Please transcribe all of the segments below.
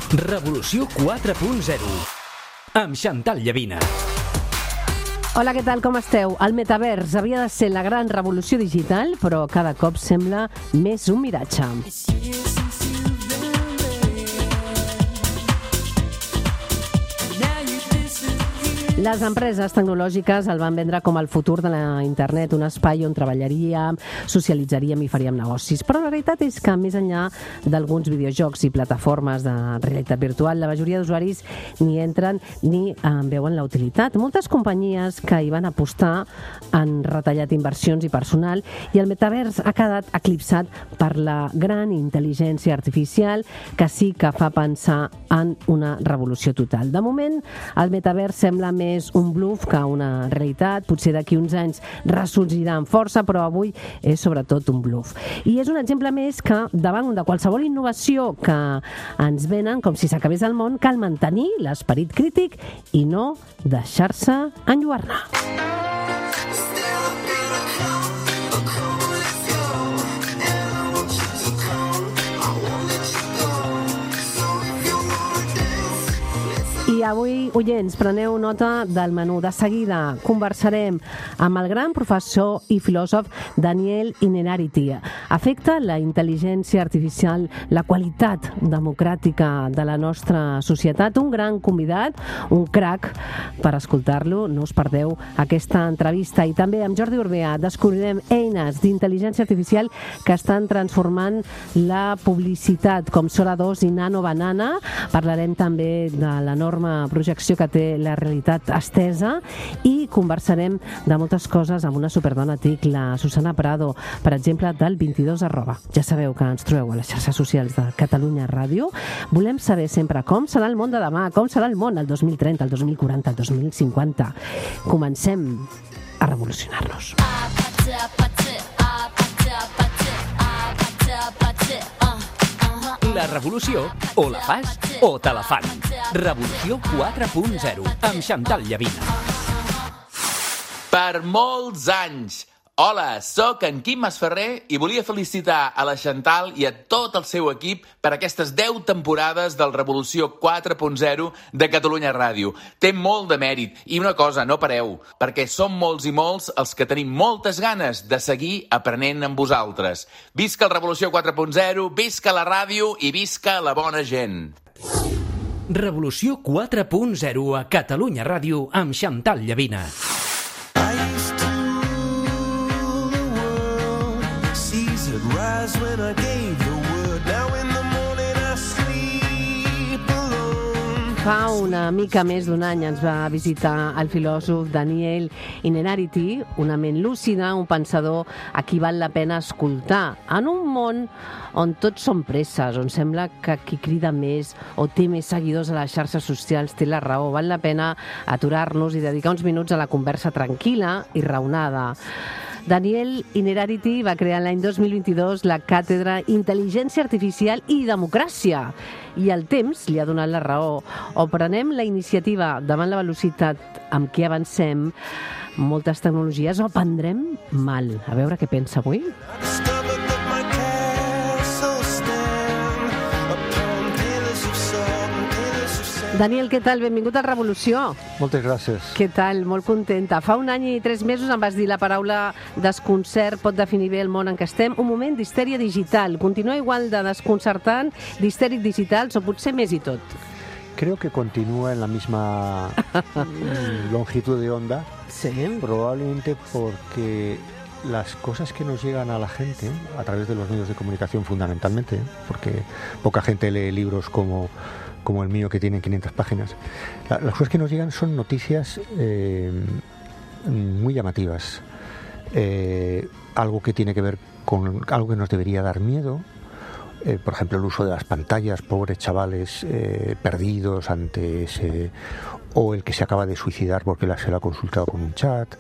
Revolució 4.0 amb Chantal Llavina. Hola, què tal? Com esteu? El metavers havia de ser la gran revolució digital, però cada cop sembla més un miratge. Les empreses tecnològiques el van vendre com el futur de la internet, un espai on treballaríem, socialitzaríem i faríem negocis. Però la realitat és que, més enllà d'alguns videojocs i plataformes de realitat virtual, la majoria d'usuaris ni entren ni en veuen la utilitat. Moltes companyies que hi van apostar han retallat inversions i personal, i el metavers ha quedat eclipsat per la gran intel·ligència artificial, que sí que fa pensar en una revolució total. De moment, el metavers sembla més un bluff que una realitat. Potser d'aquí uns anys ressorgirà amb força, però avui és sobretot un bluff. I és un exemple més que davant de qualsevol innovació que ens venen com si s'acabés el món, cal mantenir l'esperit crític i no deixar-se enlluernar. I avui, oients, preneu nota del menú. De seguida conversarem amb el gran professor i filòsof Daniel Innerarity. Afecta la intel·ligència artificial la qualitat democràtica de la nostra societat? Un gran convidat, un crac, per escoltar-lo. No us perdeu aquesta entrevista. I també amb Jordi Urbea descobrirem eines d'intel·ligència artificial que estan transformant la publicitat, com Sora 2 i Nano Banana. Parlarem també de l'enorme projecció que té la realitat estesa, i conversarem de moltes coses amb una superdona TIC, la Susana Prado, per exemple, del 22@. Ja sabeu que ens trobeu a les xarxes socials de Catalunya Ràdio. Volem saber sempre com serà el món de demà, com serà el món el 2030, el 2040, el 2050. Comencem a revolucionar-nos. La revolució, o la fas o te la fan. Revolució 4.0 amb Chantal Llavina. Per molts anys. Hola, sóc en Quim Masferrer i volia felicitar a la Chantal i a tot el seu equip per aquestes 10 temporades del Revolució 4.0 de Catalunya Ràdio. Té molt de mèrit, i una cosa, no pareu, perquè som molts i molts els que tenim moltes ganes de seguir aprenent amb vosaltres. Visca el Revolució 4.0, visca la ràdio i visca la bona gent. Revolució 4.0 a Catalunya Ràdio amb Chantal Llavina. Fa una mica més d'un any ens va visitar el filòsof Daniel Innerarity, una ment lúcida, un pensador a qui val la pena escoltar. En un món on tots són presses, on sembla que qui crida més o té més seguidors a les xarxes socials té la raó, val la pena aturar-nos i dedicar uns minuts a la conversa tranquil·la i raonada. Daniel Innerarity va crear l'any 2022 la càtedra Intel·ligència Artificial i Democràcia, i el temps li ha donat la raó. O prenem la iniciativa davant la velocitat amb què avancem moltes tecnologies, o prendrem mal. A veure què pensa avui. Daniel, què tal? Benvingut a Revolució. Moltes gràcies. Què tal? Molt contenta. Fa un any i 3 mesos em vas dir la paraula desconcert pot definir bé el món en què estem. Un moment d'histèria digital. Continua igual de desconcertant, d'histèric digitals, o potser més i tot? Creo que continúa en la misma longitud de onda. Sí. Probablemente porque las cosas que nos llegan a la gente a través de los medios de comunicación fundamentalmente, porque poca gente lee libros como el mío, que tiene 500 páginas. Las cosas que nos llegan son noticias muy llamativas. Algo que tiene que ver con algo que nos debería dar miedo. Por ejemplo, el uso de las pantallas, pobres chavales perdidos ante ese, o el que se acaba de suicidar porque se lo ha consultado con un chat,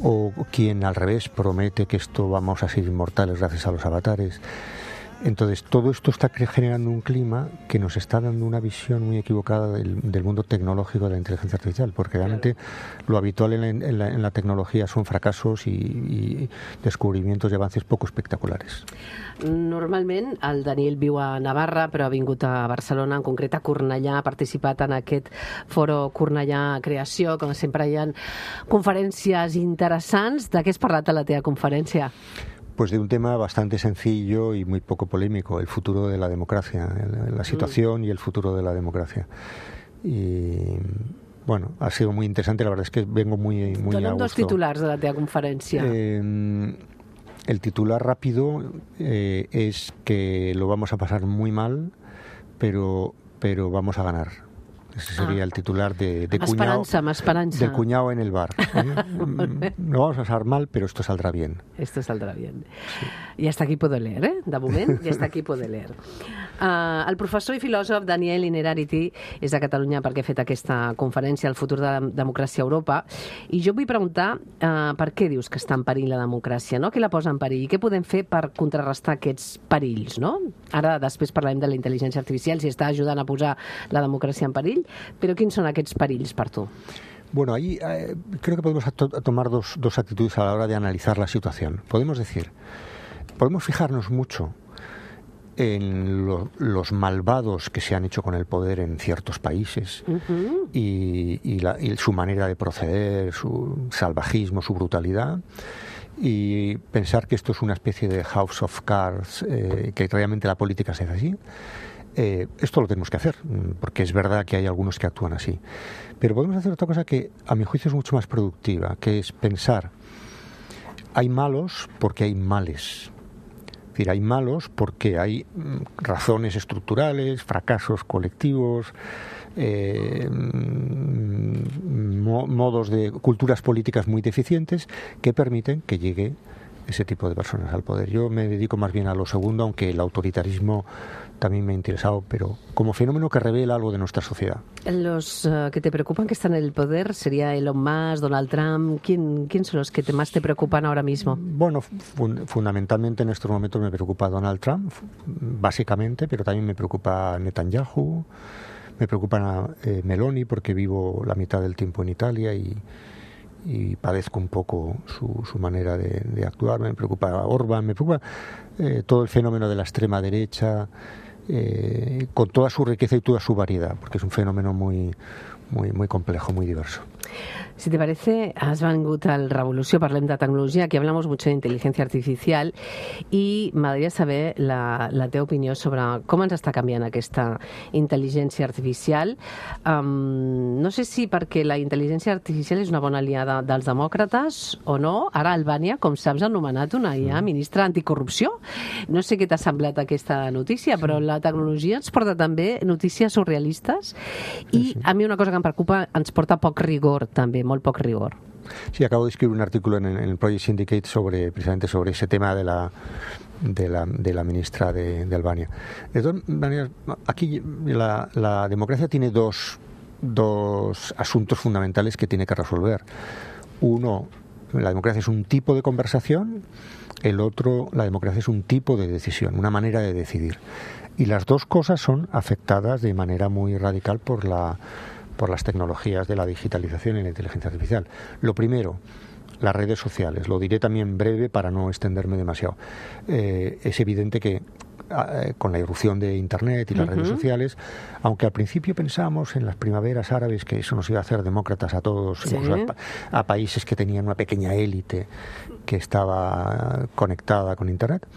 o quien al revés promete que esto vamos a ser inmortales gracias a los avatares. Entonces, todo esto está generando un clima que nos está dando una visión muy equivocada del mundo tecnológico de la inteligencia artificial, porque realmente lo habitual en la tecnología son fracasos y descubrimientos y avances poco espectaculares. Normalment el Daniel viu a Navarra, però ha vingut a Barcelona, en concret a Cornellà, ha participat en aquest foro Cornellà Creació, com sempre hi ha conferències interessants. De què has parlat a la teva conferència? Pues de un tema bastante sencillo y muy poco polémico, el futuro de la democracia, la situación y el futuro de la democracia. Y bueno, ha sido muy interesante, la verdad es que vengo muy a gusto. Dóna'm dos titulars de la teva conferència. El titular rápido es que lo vamos a pasar muy mal, pero vamos a ganar. Ese sería el titular de cuñado en el bar. No vamos a pasar mal, pero esto saldrá bien. Esto saldrá bien. Sí. I hasta aquí puedo leer, De moment, i hasta aquí puedo leer. El professor i filòsof Daniel Innerarity és de Catalunya perquè ha fet aquesta conferència al futur de la democràcia a Europa, i jo vull preguntar per què dius que està en perill la democràcia, no? Què la posa en perill i què podem fer per contrarrestar aquests perills, no? Ara després parlarem de la intel·ligència artificial, si està ajudant a posar la democràcia en perill, però quins són aquests perills per tu? Bueno, ahí creo que podemos tomar dos actitudes a la hora de analizar la situación. Podemos fijarnos mucho en los malvados que se han hecho con el poder en ciertos países y su manera de proceder, su salvajismo, su brutalidad, y pensar que esto es una especie de House of Cards, que realmente la política se hace así. Esto lo tenemos que hacer, porque es verdad que hay algunos que actúan así. Pero podemos hacer otra cosa que a mi juicio es mucho más productiva, que es pensar, hay malos porque hay males. Es decir, hay malos porque hay razones estructurales, fracasos colectivos, modos de culturas políticas muy deficientes que permiten que llegue ese tipo de personas al poder. Yo me dedico más bien a lo segundo, aunque el autoritarismo también me ha interesado, pero como fenómeno que revela algo de nuestra sociedad. Los que te preocupan que están en el poder, ¿sería Elon Musk, Donald Trump? ¿Quién son los que más te preocupan ahora mismo? Bueno, fundamentalmente en estos momentos me preocupa Donald Trump, básicamente, pero también me preocupa Netanyahu, me preocupa Meloni, porque vivo la mitad del tiempo en Italia y padezco un poco su manera de actuar. Me preocupa Orbán, me preocupa todo el fenómeno de la extrema derecha, con toda su riqueza y toda su variedad, porque es un fenómeno muy complejo, muy diverso. Si te parece, has vengut al Revolució, parlem de tecnologia, aquí hablamos mucho de inteligencia artificial i m'agradaria saber la teva opinió sobre com ens està canviant aquesta intel·ligència artificial. No sé si perquè la intel·ligència artificial és una bona aliada dels demòcrates o no. Ara Albània, com saps, ha nomenat una IA ministra anticorrupció. No sé què t'ha semblat aquesta notícia, però la tecnologia ens porta també notícies surrealistes i a mi una cosa que em preocupa, ens porta poc rigor també, molt poc rigor. Sí, acabo de escribir un artículo en el Project Syndicate precisamente sobre ese tema de la ministra de Albania. De todas maneras, aquí la democracia tiene dos asuntos fundamentales que tiene que resolver. Uno, la democracia es un tipo de conversación, el otro, la democracia es un tipo de decisión, una manera de decidir. Y las dos cosas son afectadas de manera muy radical por las tecnologías de la digitalización y la inteligencia artificial. Lo primero, las redes sociales. Lo diré también breve para no extenderme demasiado. Es evidente que con la irrupción de Internet y las redes sociales, aunque al principio pensamos en las primaveras árabes que eso nos iba a hacer demócratas a todos, incluso a países que tenían una pequeña élite que estaba conectada con Internet,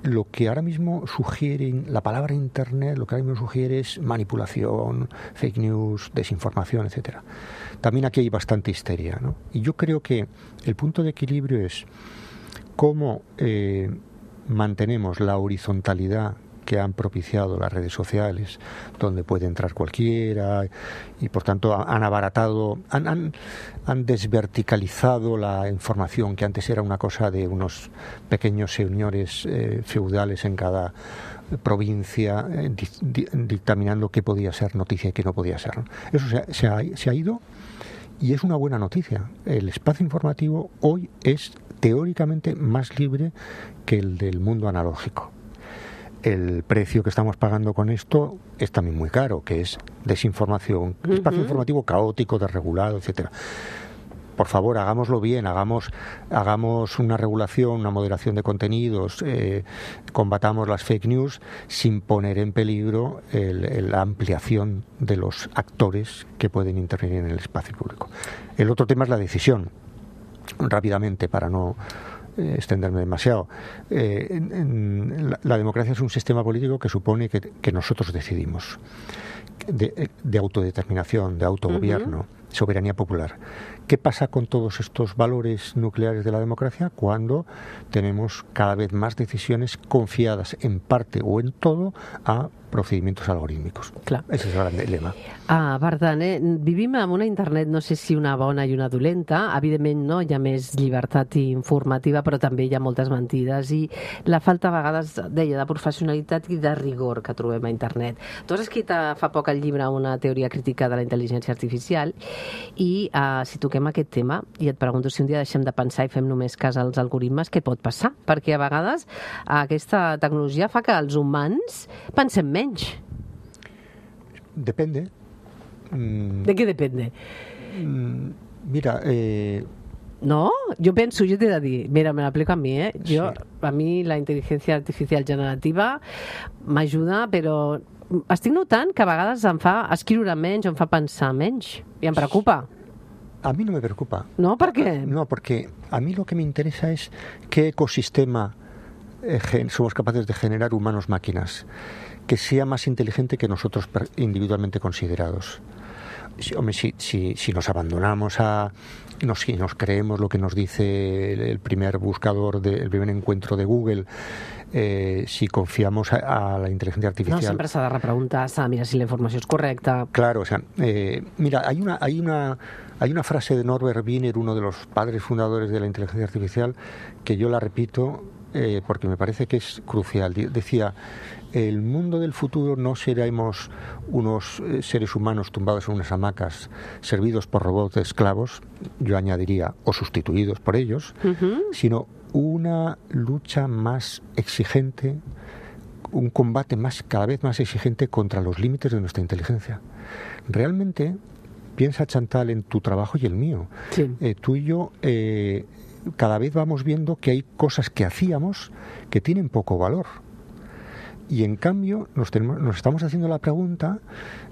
lo que ahora mismo sugiere la palabra Internet, lo que ahora mismo sugiere es manipulación, fake news, desinformación, etcétera. También aquí hay bastante histeria, ¿no? Y yo creo que el punto de equilibrio es cómo mantenemos la horizontalidad que han propiciado las redes sociales, donde puede entrar cualquiera, y por tanto han abaratado, han desverticalizado la información, que antes era una cosa de unos pequeños señores feudales en cada provincia, dictaminando qué podía ser noticia y qué no podía ser, ¿no? Eso se ha ido, y es una buena noticia. El espacio informativo hoy es teóricamente más libre que el del mundo analógico. El precio que estamos pagando con esto es también muy caro, que es desinformación, espacio informativo caótico, desregulado, etcétera. Por favor, hagámoslo bien, hagamos una regulación, una moderación de contenidos, combatamos las fake news sin poner en peligro la ampliación de los actores que pueden intervenir en el espacio público. El otro tema es la decisión. Rápidamente, para no extenderme demasiado, la democracia es un sistema político que supone que nosotros decidimos, de autodeterminación, de autogobierno, soberanía popular. ¿Qué pasa con todos estos valores nucleares de la democracia cuando tenemos cada vez más decisiones confiadas en parte o en todo a procedimientos algorítmicos? Clar. Ese és el gran dilema. Per tant, vivim en una internet, no sé si una bona i una dolenta. Evidentment, no, hi ha més llibertat informativa, però també hi ha moltes mentides i la falta a vegades, deia, de professionalitat i de rigor que trobem a internet. Tu has escrit fa poc el llibre Una teoria crítica de la intel·ligència artificial i si toquem aquest tema i et pregunto si un dia deixem de pensar i fem només cas als algoritmes, què pot passar? Perquè a vegades aquesta tecnologia fa que els humans pensem menys. Depende. ¿De qué depende? Mira, no, yo pienso, yo te he de dir, mira, me lo aplico a mí, yo, sí. A mí la inteligencia artificial generativa m'ajuda, però estic notant que a vegades em fa escriure menys o em fa pensar menys i em preocupa. A mí no me preocupa. ¿No? ¿Por qué? No, porque a mí lo que me interesa es qué ecosistema somos capaces de generar humanos-máquinas que sea más inteligente que nosotros individualmente considerados. Si nos abandonamos si nos creemos lo que nos dice el primer buscador, el primer encuentro de Google, si confiamos a la inteligencia artificial... No, sempre s'ha de repreguntar, s'ha de mirar si la informació és correcta. Claro, o sea, mira, hay una frase de Norbert Wiener, uno de los padres fundadores de la inteligencia artificial, que yo la repito porque me parece que es crucial. Decía, el mundo del futuro no seremos unos seres humanos tumbados en unas hamacas, servidos por robots esclavos, yo añadiría, o sustituidos por ellos, sino una lucha más exigente, un combate cada vez más exigente contra los límites de nuestra inteligencia. Realmente, piensa, Chantal, en tu trabajo y el mío. Sí. Tú y yo cada vez vamos viendo que hay cosas que hacíamos que tienen poco valor. Y en cambio nos estamos haciendo la pregunta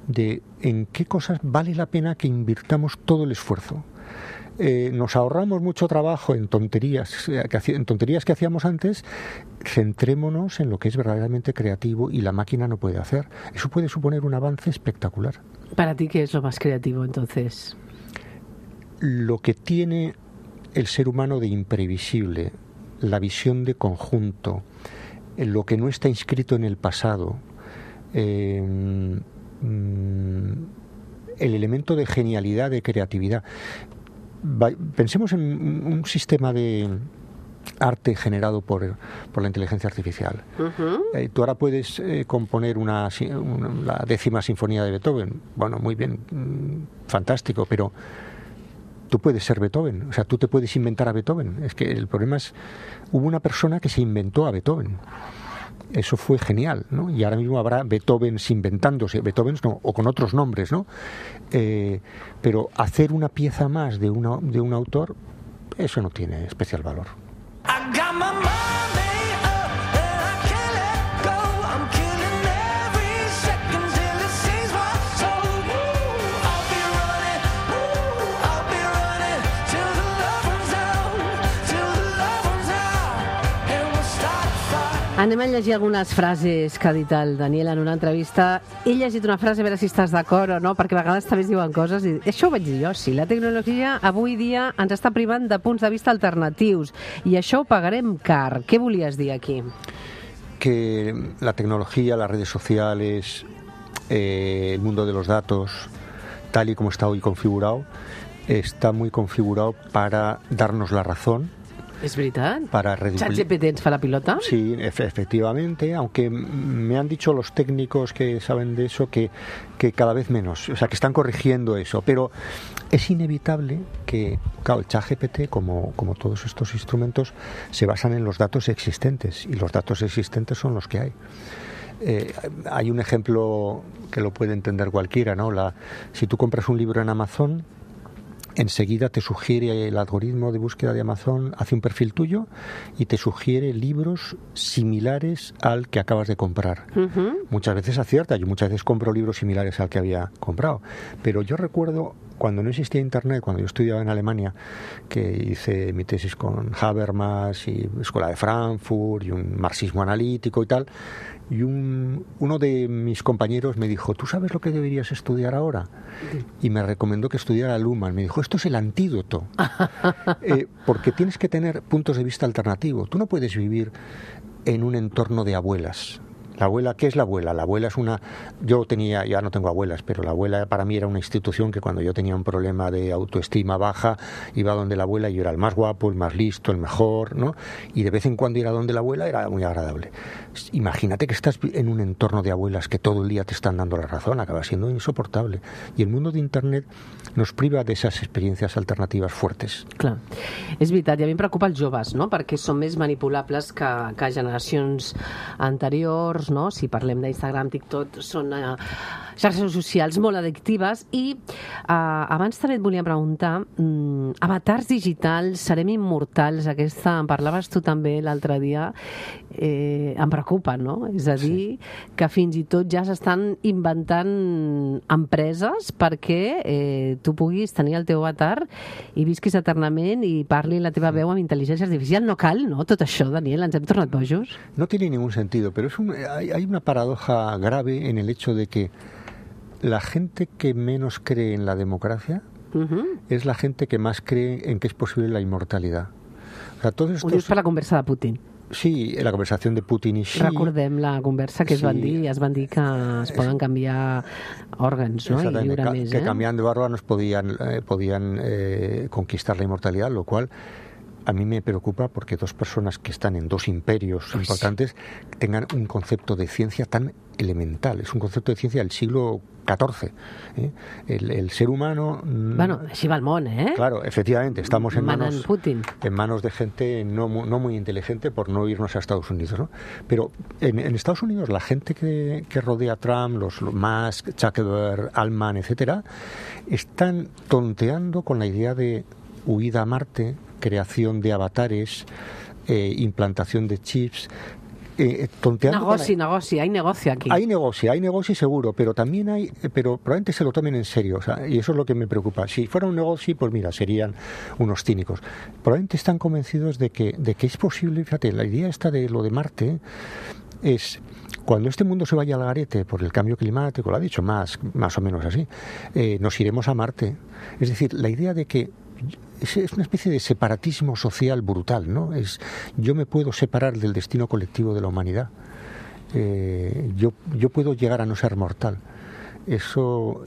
de en qué cosas vale la pena que invirtamos todo el esfuerzo. Nos ahorramos mucho trabajo en tonterías que hacíamos antes. Centrémonos en lo que es verdaderamente creativo y la máquina no puede hacer. Eso puede suponer un avance espectacular. ¿Para ti qué es lo más creativo entonces? Lo que tiene el ser humano de imprevisible, la visión de conjunto, lo que no está inscrito en el pasado, el elemento de genialidad, de creatividad. Pensemos en un sistema de arte generado por la inteligencia artificial. Tú ahora puedes componer la 10ª sinfonía de Beethoven. Bueno, muy bien, fantástico, pero tú puedes ser Beethoven, o sea, tú te puedes inventar a Beethoven. Es que el problema es, hubo una persona que se inventó a Beethoven. Eso fue genial, ¿no? Y ahora mismo habrá Beethovens inventándose, Beethovens no, o con otros nombres, ¿no? Pero hacer una pieza más de un autor, eso no tiene especial valor. Anem a llegir algunes frases que ha dit el Daniel en una entrevista. He llegit una frase, a veure si estàs d'acord o no, perquè a vegades també es diuen coses i això ho vaig dir jo, sí. La tecnologia avui dia ens està privant de punts de vista alternatius i això ho pagarem car. Què volies dir aquí? Que la tecnología, las redes sociales, el mundo de los datos, tal y como está hoy configurado, está muy configurado para darnos la razón. Es verdad. Para ChatGPT ens fa la pilota. Sí, efectivamente, aunque me han dicho los técnicos que saben de eso que cada vez menos, o sea, que están corrigiendo eso, pero es inevitable que, claro, el ChatGPT, como todos estos instrumentos, se basan en los datos existentes, y los datos existentes son los que hay. Hay un ejemplo que lo puede entender cualquiera, ¿no? Si tú compras un libro en Amazon, enseguida te sugiere el algoritmo de búsqueda de Amazon, hace un perfil tuyo y te sugiere libros similares al que acabas de comprar. Muchas veces acierta, yo muchas veces compro libros similares al que había comprado, pero yo recuerdo cuando no existía Internet, cuando yo estudiaba en Alemania, que hice mi tesis con Habermas y Escuela de Frankfurt y un marxismo analítico y tal, y uno de mis compañeros me dijo, ¿tú sabes lo que deberías estudiar ahora? Y me recomendó que estudiara Luhmann. Me dijo, esto es el antídoto, porque tienes que tener puntos de vista alternativos. Tú no puedes vivir en un entorno de abuelas. La abuela, ¿qué es la abuela? La abuela es una... ya no tengo abuelas, pero la abuela para mí era una institución que cuando yo tenía un problema de autoestima baja, iba donde la abuela y yo era el más guapo, el más listo, el mejor, ¿no? Y de vez en cuando ir a donde la abuela era muy agradable. Imagínate que estás en un entorno de abuelas que todo el día te están dando la razón, acaba siendo insoportable. Y el mundo de Internet nos priva de esas experiencias alternativas fuertes. Clar. És veritat, i a mi em preocupa els joves, no? Perquè són més manipulables que generacions anteriors, no? Si parlem d'Instagram, TikTok, són xarxes socials molt addictives i abans també et volia preguntar, avatars digitals, serem immortals, aquesta en parlaves tu també l'altre dia, em preocupa, no? És a dir, que fins i tot ja s'estan inventant empreses perquè tu puguis tenir el teu avatar i visquis eternament i parli la teva veu amb intel·ligència artificial. No cal, no? Tot això, Daniel, ens hem tornat bojos. No tiene ningún sentido, pero hay una paradoja grave en el hecho de que la gente que menos cree en la democracia es la gente que más cree en que es posible la inmortalidad. O sea, todos estos... Ho dius per la conversa de Putin. Sí, la conversación de Putin y Xi. Recordem la conversa que es van dir que es poden canviar òrgans, no? I viure més, que cambiando de órganos podían conquistar la inmortalidad, lo cual a mí me preocupa porque dos personas que están en dos imperios importantes tengan un concepto de ciencia tan elemental. Es un concepto de ciencia del siglo XIV. El ser humano... Bueno, així va el món, eh? Claro, efectivamente, estamos en manos de gente no muy inteligente, por no irnos a Estados Unidos, ¿no? Pero en Estados Unidos la gente que rodea a Trump, los Musk, Zuckerberg, Altman, etcétera, están tonteando con la idea de huida a Marte, creación de avatares, implantación de chips, negoci, hay negocio aquí. Hay negocio seguro, pero también pero probablemente se lo tomen en serio, o sea, y eso es lo que me preocupa. Si fuera un negocio, pues mira, serían unos cínicos. Probablemente están convencidos de que es posible, fíjate, la idea esta de lo de Marte es... Cuando este mundo se vaya al garete por el cambio climático, lo ha dicho más o menos así, nos iremos a Marte. Es decir, la idea de que es una especie de separatismo social brutal, ¿no? Yo me puedo separar del destino colectivo de la humanidad. Yo puedo llegar a no ser mortal. Eso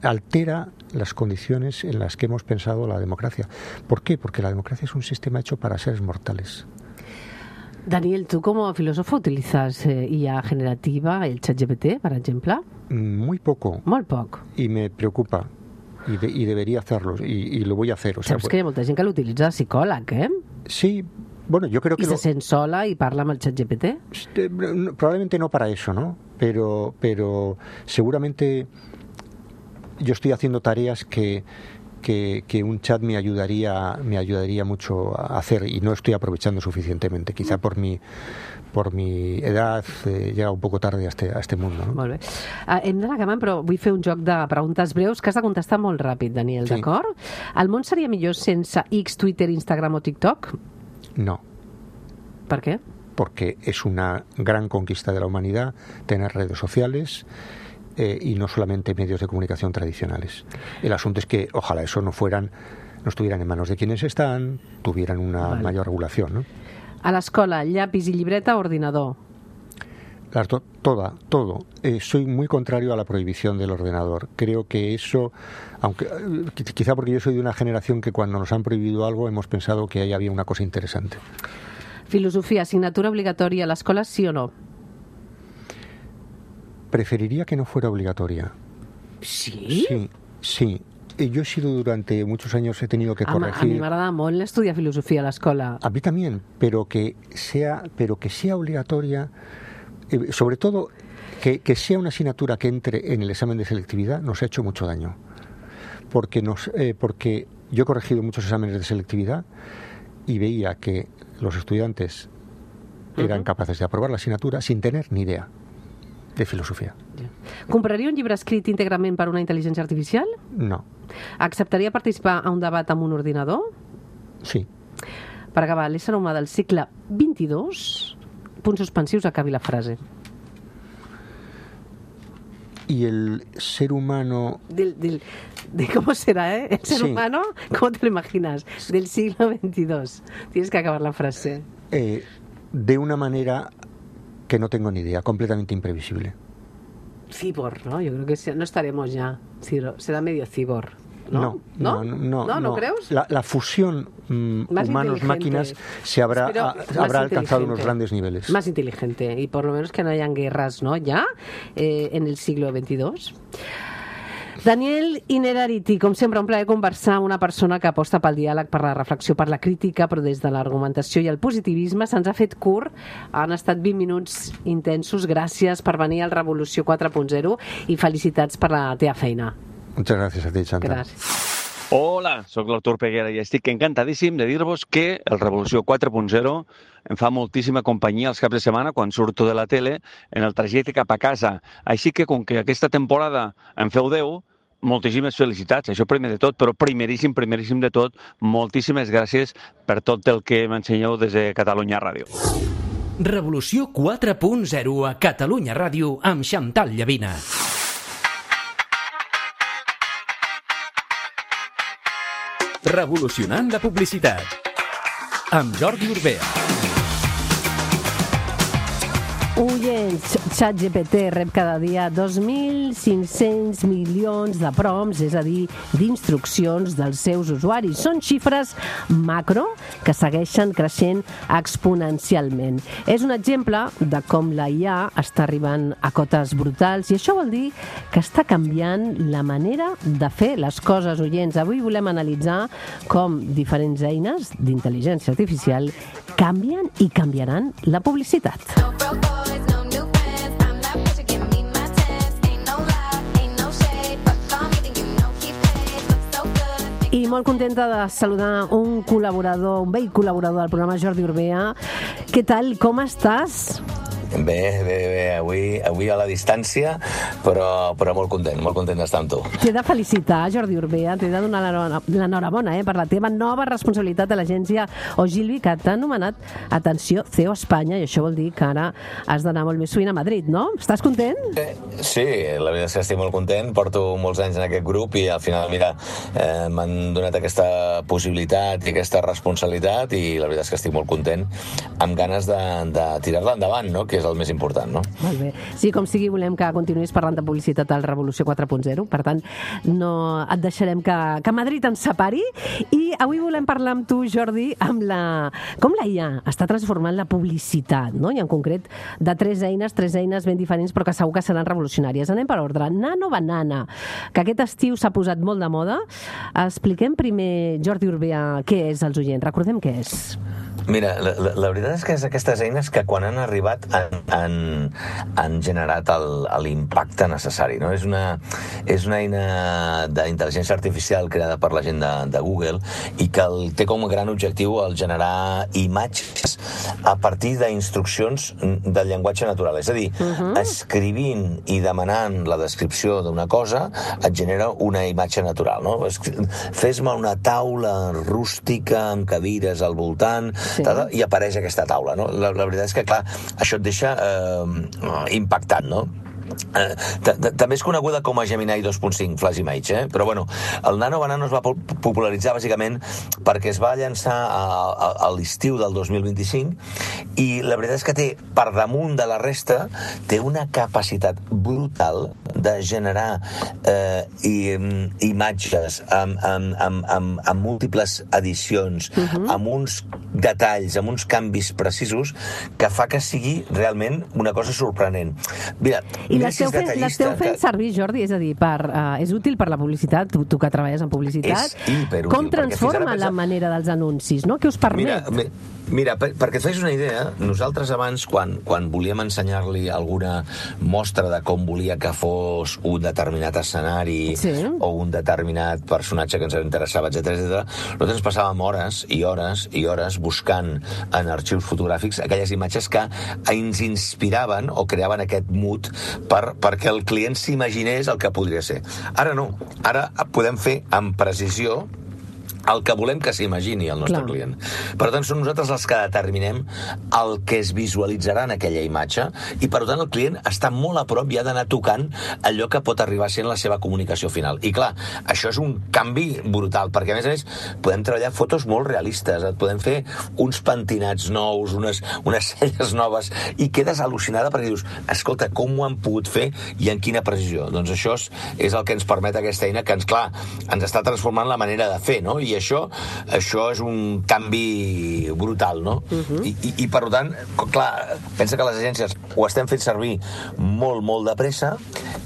altera las condiciones en las que hemos pensado la democracia. ¿Por qué? Porque la democracia es un sistema hecho para seres mortales. Daniel, tú como filósofo utilizas IA generativa, el ChatGPT, por ejemplo? Muy poco. Molt poc. Y me preocupa. I debería hacerlo, y lo voy a hacer. O sea, saps que hi ha molta gent que l'utilitza de psicòleg, eh? Sí, bueno, yo creo que... I se sent sola y parla amb el ChatGPT? Probablemente no para eso, ¿no? Pero seguramente yo estoy haciendo tareas que un chat me ayudaría mucho a hacer, y no estoy aprovechando suficientemente, quizá por mi edad, llega un poco tarde a este mundo, no? Molt bé. Hem d'anar acabant, però vull fer un joc de preguntes breus que has de contestar molt ràpid, Daniel, sí. D'acord? El món seria millor sense X, Twitter, Instagram o TikTok? No. ¿Por qué? Porque es una gran conquista de la humanidad tener redes sociales, y no solamente medios de comunicación tradicionales. El asunto es que ojalá eso no estuvieran en manos de quienes están, tuvieran una mayor regulación, ¿no? A l'escola, llapis i llibreta o ordinador? todo. Soy muy contrario a la prohibición del ordenador. Creo que eso, aunque quizá porque yo soy de una generación que cuando nos han prohibido algo hemos pensado que ahí había una cosa interesante. Filosofía, asignatura obligatoria a l'escola, sí o no? Preferiría que no fuera obligatoria. Sí? Sí. Yo he sido durante muchos años, he tenido que corregir... A mi m'agrada molt estudiar filosofia a l'escola. A mí también, pero que sea obligatoria, sobre todo que sea una asignatura que entre en el examen de selectividad, nos ha hecho mucho daño. Porque yo he corregido muchos exámenes de selectividad y veía que los estudiantes eran capaces de aprobar la asignatura sin tener ni idea de filosofia. Compraria un llibre escrit íntegrament per una intel·ligència artificial? No. Acceptaria participar a un debat amb un ordinador? Sí. Per acabar, l'ésser humà del segle XXII, punts suspensius, acabi la frase. Y el ser humano... ¿Cómo será, eh? El ser humano, ¿cómo te lo imaginas? Del siglo XXII. Tienes que acabar la frase. De una manera que no tengo ni idea, completamente imprevisible. Cyborg, ¿no? Yo creo que no estaremos ya. Será medio cyborg. No creus? La fusión humanos-máquinas se habrá alcanzado unos grandes niveles. Más inteligente, y por lo menos que no hayan guerras, ¿no? Ya, en el siglo XXII. Daniel Innerarity, com sempre, un plaer conversar amb una persona que aposta pel diàleg, per la reflexió, per la crítica, però des de l'argumentació i el positivisme. Se'ns ha fet curt, han estat 20 minuts intensos. Gràcies per venir al Revolució 4.0 i felicitats per la teva feina. Muchas gracias a ti, Chantal. Gràcies. Hola, sóc l'Artur Peguera i estic encantadíssim de dir-vos que el Revolució 4.0 em fa moltíssima companyia els caps de setmana quan surto de la tele en el trajecte cap a casa. Així que, com que aquesta temporada en feu 10, moltíssimes felicitats, això primer de tot, però primeríssim de tot, moltíssimes gràcies per tot el que m'ensenyeu des de Catalunya Ràdio. Revolució 4.0 a Catalunya Ràdio amb Chantal Llavina. Revolucionant la publicitat amb Jordi Urbea. Oients, ChatGPT rep cada dia 2.500 milions de prompts, és a dir, d'instruccions dels seus usuaris. Són xifres macro que segueixen creixent exponencialment. És un exemple de com la IA està arribant a cotes brutals i això vol dir que està canviant la manera de fer les coses, oients. Avui volem analitzar com diferents eines d'intel·ligència artificial canvien i canviaran la publicitat. I molt contenta de saludar un col·laborador, un vell col·laborador del programa, Jordi Urbea. Què tal? Com estàs? Bé, avui a la distància, però molt content d'estar amb tu. T'he de felicitar, Jordi Urbea, t'he de donar l'enhorabona per la teva nova responsabilitat a l'agència Ogilvy, que t'ha anomenat, atenció, CEO Espanya, i això vol dir que ara has d'anar molt més sovint a Madrid, no? Estàs content? Sí, la veritat és que estic molt content, porto molts anys en aquest grup i al final, mira, m'han donat aquesta possibilitat i aquesta responsabilitat i la veritat és que estic molt content, amb ganes de tirar-la endavant, no?, que és el més important, no? Molt bé. Sí, com sigui, volem que continuïs parlant de publicitat al Revolució 4.0, per tant, no et deixarem que Madrid ens separi, i avui volem parlar amb tu, Jordi, com la IA està transformant la publicitat, no? I en concret de tres eines ben diferents, però que segur que seran revolucionàries. Anem per ordre. Nano Banana, que aquest estiu s'ha posat molt de moda. Expliquem primer, Jordi Urbea, què és als oients. Recordem què és. Mira, la veritat és que és aquestes eines que quan han arribat han generat l'impacte necessari, no? És una eina d'intel·ligència artificial creada per la gent de Google i que té com a gran objectiu el generar imatges a partir d'instruccions del llenguatge natural. És a dir, escrivint i demanant la descripció d'una cosa et genera una imatge natural, no? Fes-me una taula rústica amb cadires al voltant, i apareix aquesta taula, no? La veritat és que, clar, això et deixa impactant, no? També és coneguda com a Gemini 2.5 Flash Image, però bueno, el Nano Banano es va popularitzar bàsicament perquè es va llançar a l'estiu del 2025 i la veritat és que té, per damunt de la resta, té una capacitat brutal de generar imatges amb múltiples edicions, amb uns detalls, amb uns canvis precisos que fa que sigui realment una cosa sorprenent. Mira, l'esteu fent servir, Jordi, és a dir, és útil per la publicitat, tu que treballes en publicitat. És hiperútil. Com transforma la manera dels anuncis, no? Què us permet? Mira, perquè et facis una idea, nosaltres abans, quan volíem ensenyar-li alguna mostra de com volia que fos un determinat escenari o un determinat personatge que ens interessava, etc., nosaltres passàvem hores i hores i hores buscant en arxius fotogràfics aquelles imatges que ens inspiraven o creaven aquest mood perquè el client s'imaginés el que podria ser. Ara no, ara podem fer amb precisió el que volem que s'imagini el nostre client. Per tant, som nosaltres els que determinem el que es visualitzarà en aquella imatge i, per tant, el client està molt a prop i ha d'anar tocant allò que pot arribar a ser la seva comunicació final. I, clar, això és un canvi brutal, perquè, a més, podem treballar fotos molt realistes, et podem fer uns pentinats nous, unes celles noves, i quedes al·lucinada perquè dius, escolta, com ho han pogut fer i en quina precisió? Doncs això és el que ens permet aquesta eina que ens està transformant la manera de fer, no? I això és un canvi brutal, no? I per tant, clar, pensa que les agències ho estem fent servir molt, molt de pressa,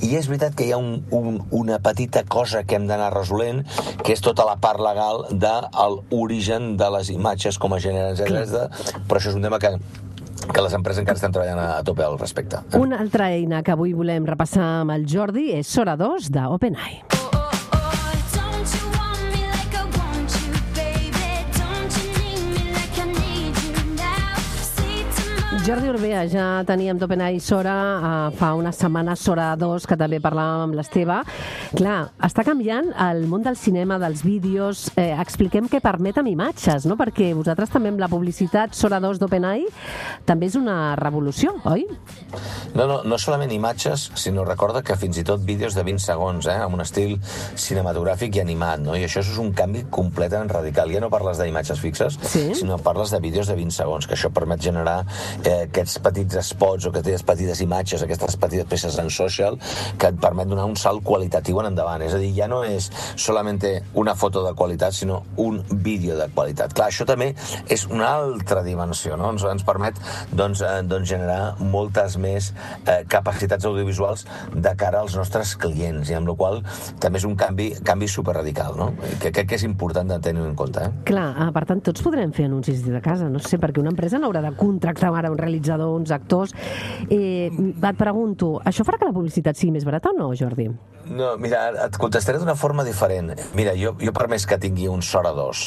i és veritat que hi ha una petita cosa que hem d'anar resolent, que és tota la part legal de l'origen de les imatges com a gènere, però això és un tema que les empreses encara estan treballant a tope al respecte. Una altra eina que avui volem repassar amb el Jordi és Sora 2 d'OpenAI. Jordi Urbea, ja teníem d'OpenAI Sora, fa unes setmanes Sora 2, que també parlàvem amb l'Esteve. Clar, està canviant el món del cinema, dels vídeos. Expliquem què permet amb imatges, no? Perquè vosaltres també amb la publicitat Sora 2 d'OpenAI també és una revolució, oi? No solament imatges, sinó recorda que fins i tot vídeos de 20 segons, amb un estil cinematogràfic i animat, no? I això és un canvi completament radical. Ja no parles d'imatges fixes, sinó parles de vídeos de 20 segons, que això permet generar aquests petits spots o aquestes petites imatges, aquestes petites peces en social que et permet donar un salt qualitatiu en endavant. És a dir, ja no és solament una foto de qualitat, sinó un vídeo de qualitat. Clar, això també és una altra dimensió, no? Ens permet generar moltes més capacitats audiovisuals de cara als nostres clients, i amb la qual també és un canvi superradical, no? Que crec que és important de tenir en compte. Clar, per tant, tots podrem fer anuncis des de casa, no sé, perquè una empresa no haurà de contractar ara un realitzador, uns actors. Et pregunto, això farà que la publicitat sigui més barata o no, Jordi? No, mira, et contestaré d'una forma diferent. Mira, jo per més que tingui un Sora 2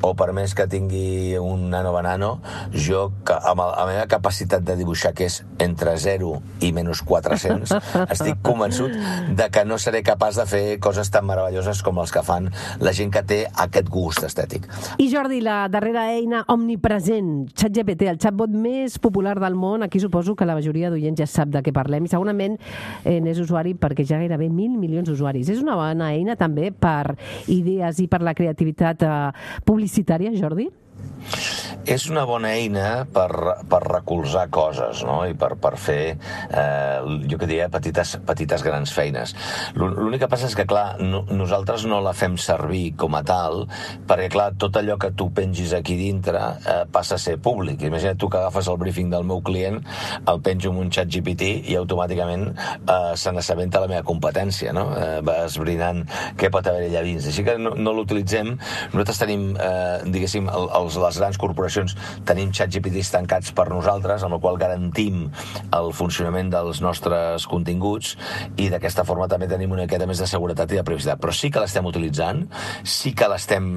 o per més que tingui un Nano Banano, jo, amb la meva capacitat de dibuixar, que és entre 0 i menys 400, estic convençut de que no seré capaç de fer coses tan meravelloses com els que fan la gent que té aquest gust estètic. I Jordi, la darrera eina omnipresent, ChatGPT, el chatbot més popular del món, aquí suposo que la majoria d'oients ja sap de què parlem i segurament n'és usuari perquè ja gairebé 1.000 milions d'usuaris. És una bona eina també per idees i per la creativitat publicitària, Jordi? És una bona eina per recolzar coses, no? I per fer, jo que diria, petites grans feines. L'únic que passa és que, clar, nosaltres no la fem servir com a tal, perquè, clar, tot allò que tu pengis aquí dintre passa a ser públic. Imagina't tu que agafes el briefing del meu client, el penjo en un xat GPT i automàticament se n'assabenta la meva competència, no? Va esbrinant què pot haver allà dins. Així que no l'utilitzem. Nosaltres tenim, diguéssim, les grans corporacions tenim ChatGPTs tancats per nosaltres, amb el qual garantim el funcionament dels nostres continguts, i d'aquesta forma també tenim una miqueta més de seguretat i de privacitat. Però sí que l'estem utilitzant, sí que l'estem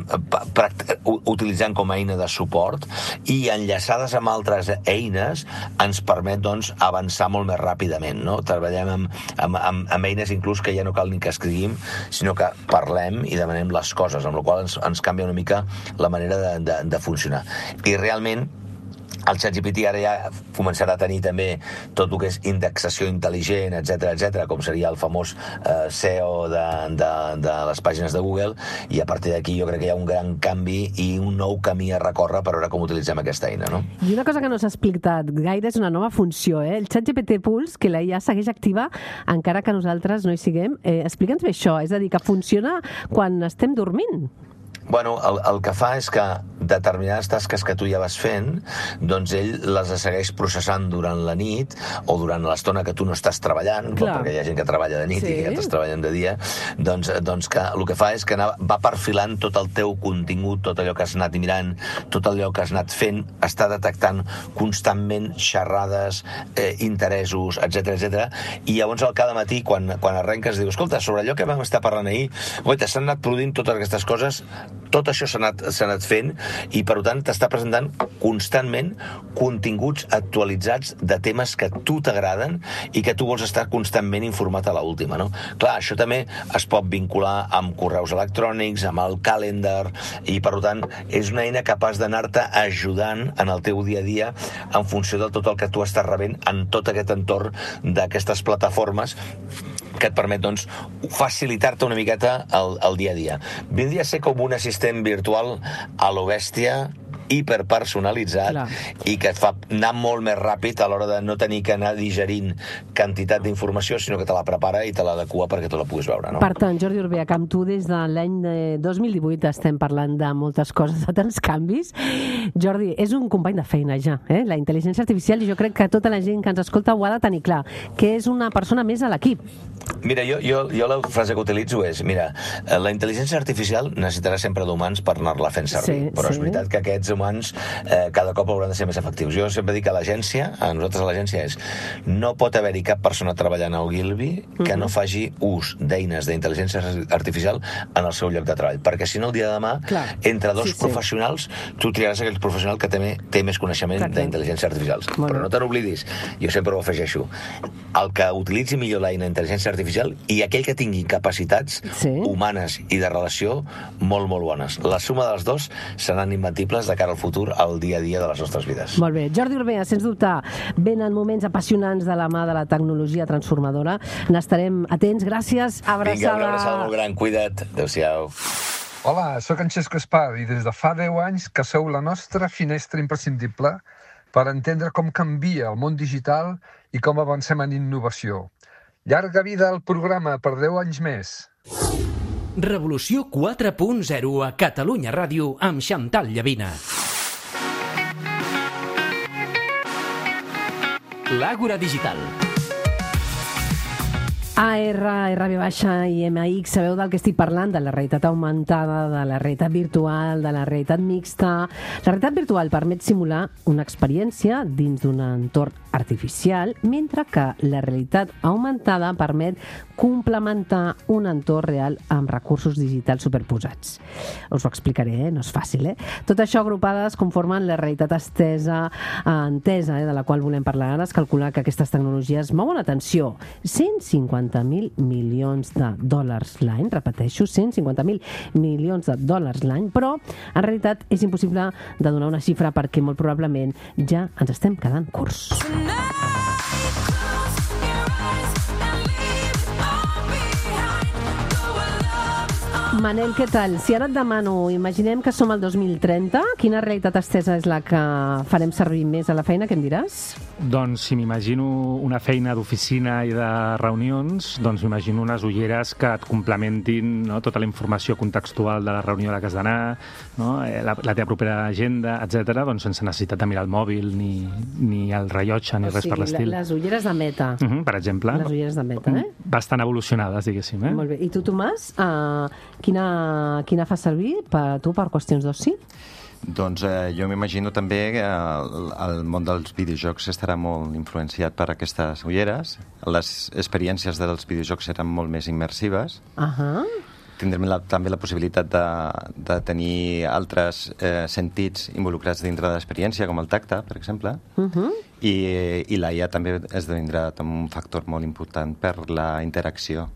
utilitzant com a eina de suport, i enllaçades amb altres eines ens permet, doncs, avançar molt més ràpidament, no? Treballem amb eines inclús que ja no cal ni que escriguim, sinó que parlem i demanem les coses, amb la qual ens canvia una mica la manera de funcionar. I realment El ChatGPT ara ja començarà a tenir també tot el que és indexació intel·ligent, etc, com seria el famós SEO de les pàgines de Google, i a partir d'aquí jo crec que hi ha un gran canvi i un nou camí a recórrer per veure com utilitzem aquesta eina, no? I una cosa que no s'ha explicat gaire és una nova funció, el ChatGPT Pulse, que la IA segueix activa encara que nosaltres no hi siguem. Explica'ns bé això, és a dir, que funciona quan estem dormint. Bueno, el que fa és que determinades tasques que tu ja vas fent, doncs ell les segueix processant durant la nit o durant l'estona que tu no estàs treballant, perquè hi ha gent que treballa de nit i que estàs treballant de dia, doncs que el que fa és que va perfilant tot el teu contingut, tot allò que has anat mirant, tot allò que has anat fent, està detectant constantment xerrades, interessos, etc. I llavors al cada matí, quan arrenques, dius, escolta, sobre allò que vam estar parlant ahir, s'han anat produint totes aquestes coses, tot això s'ha anat fent i, per tant, t'està presentant constantment continguts actualitzats de temes que a tu t'agraden i que tu vols estar constantment informat a l'última, no? Clar, això també es pot vincular amb correus electrònics, amb el calendar, i, per tant, és una eina capaç d'anar-te ajudant en el teu dia a dia en funció de tot el que tu estàs rebent en tot aquest entorn d'aquestes plataformes que et permet, doncs, facilitar-te una miqueta el dia a dia. Vindria a ser com un assistent virtual a lo bèstia, hiperpersonalitzat, i que et fa anar molt més ràpid a l'hora de no tenir que anar digerint quantitat d'informació, sinó que te la prepara i te l'adequa perquè tu la puguis veure, no? Per tant, Jordi Orbeach, amb tu des de l'any 2018 estem parlant de moltes coses, de tants canvis. Jordi, és un company de feina ja, la intel·ligència artificial, i jo crec que tota la gent que ens escolta ho ha de tenir clar, que és una persona més a l'equip. Mira, jo la frase que utilitzo és, mira, la intel·ligència artificial necessitarà sempre d'humans per anar-la fent servir, però és veritat que aquests humans cada cop hauran de ser més efectius. Jo sempre dic que l'agència, a nosaltres a l'agència és, no pot haver-hi cap persona treballant al Gilby que no faci ús d'eines d'intel·ligència artificial en el seu lloc de treball, perquè si no el dia de demà, entre dos professionals, tu triaràs aquell professional que també té més coneixement d'intel·ligència artificial. Però no te n'oblidis, jo sempre ho afegeixo, el que utilitzi millor l'eina d'intel·ligència artificial i aquell que tingui capacitats humanes i de relació molt, molt bones. La suma dels dos seran imbatibles de cara al futur, al dia a dia de les nostres vides. Molt bé. Jordi Orbeach, sens dubte, venen moments apassionants de la mà de la tecnologia transformadora. N'estarem atents. Gràcies. Abraçada. Vinga, una abraçada molt gran. Cuida't. Adéu-siau. Hola, sóc en Xesco Espar i des de fa 10 anys que sou la nostra finestra imprescindible per entendre com canvia el món digital i com avancem en innovació. Llarga vida al programa per 10 anys més. Revolució 4.0 a Catalunya Ràdio amb Xantal Llavina. L'Àgora Digital. AR, RV- i MX, sabeu del que estic parlant? De la realitat augmentada, de la realitat virtual, de la realitat mixta. La realitat virtual permet simular una experiència dins d'un entorn artificial, mentre que la realitat augmentada permet complementar un entorn real amb recursos digitals superposats. Us ho explicaré, no és fàcil, Tot això agrupades conformen la realitat entesa, de la qual volem parlar ara. Es calcula que aquestes tecnologies mouen, atenció, 150.000 milions de dòlars l'any, repeteixo, 150.000 milions de dòlars l'any, però en realitat és impossible de donar una xifra perquè molt probablement ja ens estem quedant curts. Manel, què tal? Si ara et demano, imaginem que som al 2030, quina realitat estesa és la que farem servir més a la feina? Què em diràs? Doncs si m'imagino una feina d'oficina i de reunions, doncs m'imagino unes ulleres que et complementin, no, tota la informació contextual de la reunió a la que has d'anar, no, la teva propera agenda, etc., doncs sense necessitat de mirar el mòbil ni el rellotge ni res per l'estil. Les ulleres de Meta. Per exemple. Les ulleres de Meta, Bastant evolucionades, diguéssim. Molt bé. I tu, Tomàs, quina fa servir tu per qüestions d'oci? Doncs jo m'imagino també que el món dels videojocs estarà molt influenciat per aquestes ulleres. Les experiències dels videojocs seran molt més immersives. Tindrem també la possibilitat de tenir altres sentits involucrats dintre de l'experiència, com el tacte, per exemple. I la IA també esdevindrà un factor molt important per la interacció.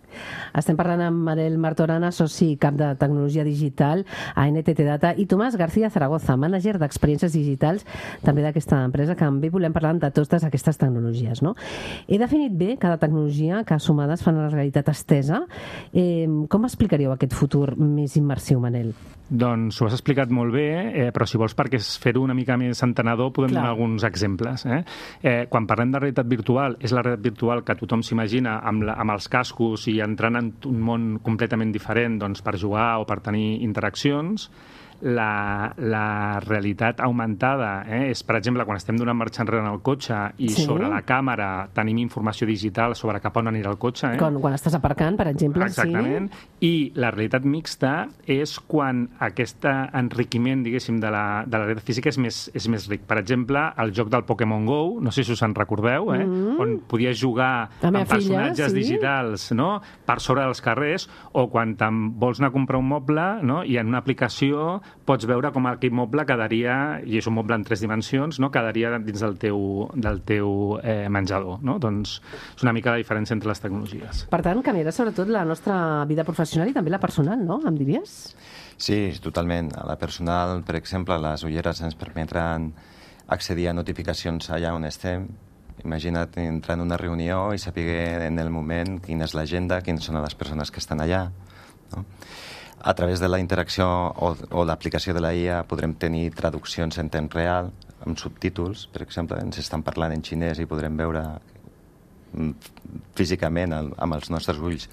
Estem parlant amb Manel Martorana, soci cap de tecnologia digital a NTT Data, i Tomàs García Zaragoza, mànager d'experiències digitals també d'aquesta empresa, que també volem parlar de totes aquestes tecnologies, no? He definit bé cada tecnologia que sumades fan la realitat estesa. Com explicaríeu aquest futur més immersiu, Manel? Doncs ho has explicat molt bé, però si vols perquè fer-ho una mica més entenedor podem donar alguns exemples. Quan parlem de realitat virtual, és la realitat virtual que tothom s'imagina amb els cascos i entrant en un món completament diferent per jugar o per tenir interaccions. La realitat augmentada és, per exemple, quan estem donant marxa enrere en el cotxe i sobre la càmera tenim informació digital sobre cap on anirà el cotxe. Quan estàs aparcant, per exemple. Exactament. I la realitat mixta és quan aquest enriquiment, diguéssim, de la realitat física és més ric. Per exemple, el joc del Pokémon GO, no sé si us en recordeu, on podies jugar amb personatges digitals per sobre dels carrers, o quan vols anar a comprar un moble i en una aplicació pots veure com aquell moble quedaria, i és un moble en 3 dimensions, quedaria dins del teu menjador. Doncs és una mica la diferència entre les tecnologies. Per tant, canviarà sobretot la nostra vida professional i també la personal, no? Em diries? Sí, totalment. A la personal, per exemple, les ulleres ens permetran accedir a notificacions allà on estem. Imagina't entrar en una reunió i saber en el moment quina és l'agenda, quines són les persones que estan allà, no? A través de la interacció o l'aplicació de la IA podrem tenir traduccions en temps real, amb subtítols, per exemple, ens estan parlant en xinès i podrem veure físicament amb els nostres ulls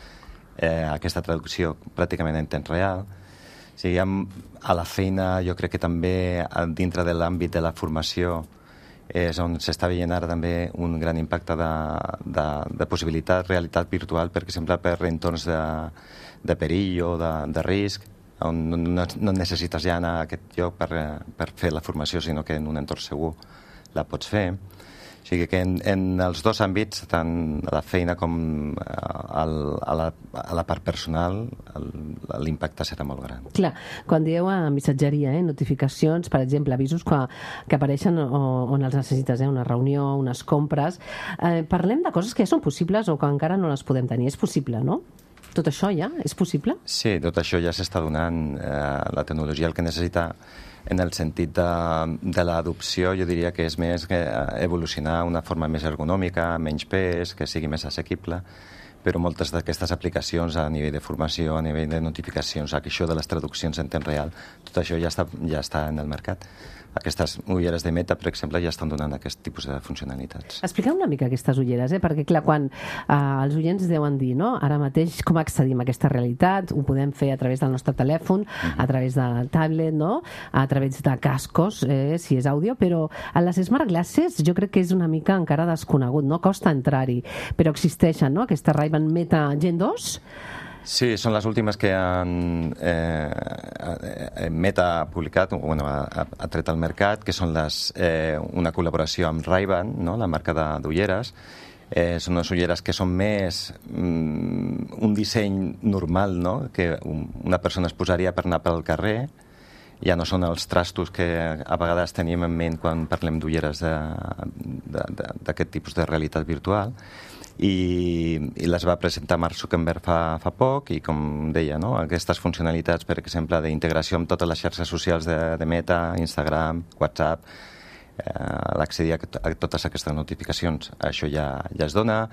aquesta traducció pràcticament en temps real. O sigui, a la feina jo crec que també dintre de l'àmbit de la formació és on s'està veient ara també un gran impacte de possibilitat, realitat virtual, per exemple, per entorns de perill o de risc, on no necessites ja anar a aquest lloc per fer la formació, sinó que en un entorn segur la pots fer. O sigui que en els dos àmbits, tant a la feina com a la part personal, l'impacte serà molt gran. Clar, quan dieu a missatgeria, notificacions, per exemple, avisos que apareixen on els necessites, una reunió, unes compres, parlem de coses que ja són possibles o que encara no les podem tenir. És possible, no? Tot això ja és possible? Sí, tot això ja s'està donant. La tecnologia el que necessita en el sentit de l'adopció, jo diria que és més evolucionar una forma més ergonòmica, menys pes, que sigui més assequible, però moltes d'aquestes aplicacions a nivell de formació, a nivell de notificacions, això de les traduccions en temps real, tot això ja està en el mercat. Aquestes ulleres de Meta, per exemple, ja estan donant aquest tipus de funcionalitats. Expliqueu una mica aquestes ulleres, perquè clar, quan els oients deuen dir, ara mateix com accedim a aquesta realitat, ho podem fer a través del nostre telèfon, a través de tablet, a través de cascos, si és àudio, però a les Smart Glasses jo crec que és una mica encara desconegut, costa entrar-hi, però existeixen, aquesta Ray-Ban Meta Gen 2? Sí, són les últimes que Meta ha publicat, ha tret al mercat, que són una col·laboració amb Ray-Ban, la marca d'ulleres. Són unes ulleres que són més un disseny normal, que una persona es posaria per anar pel carrer. Ja no són els trastos que a vegades tenim en ment quan parlem d'ulleres d'aquest tipus de realitat virtual. I les va presentar Mark Zuckerberg fa poc i, com deia, aquestes funcionalitats, per exemple, d'integració amb totes les xarxes socials de Meta, Instagram, WhatsApp, l'accedir a totes aquestes notificacions. Això ja es dona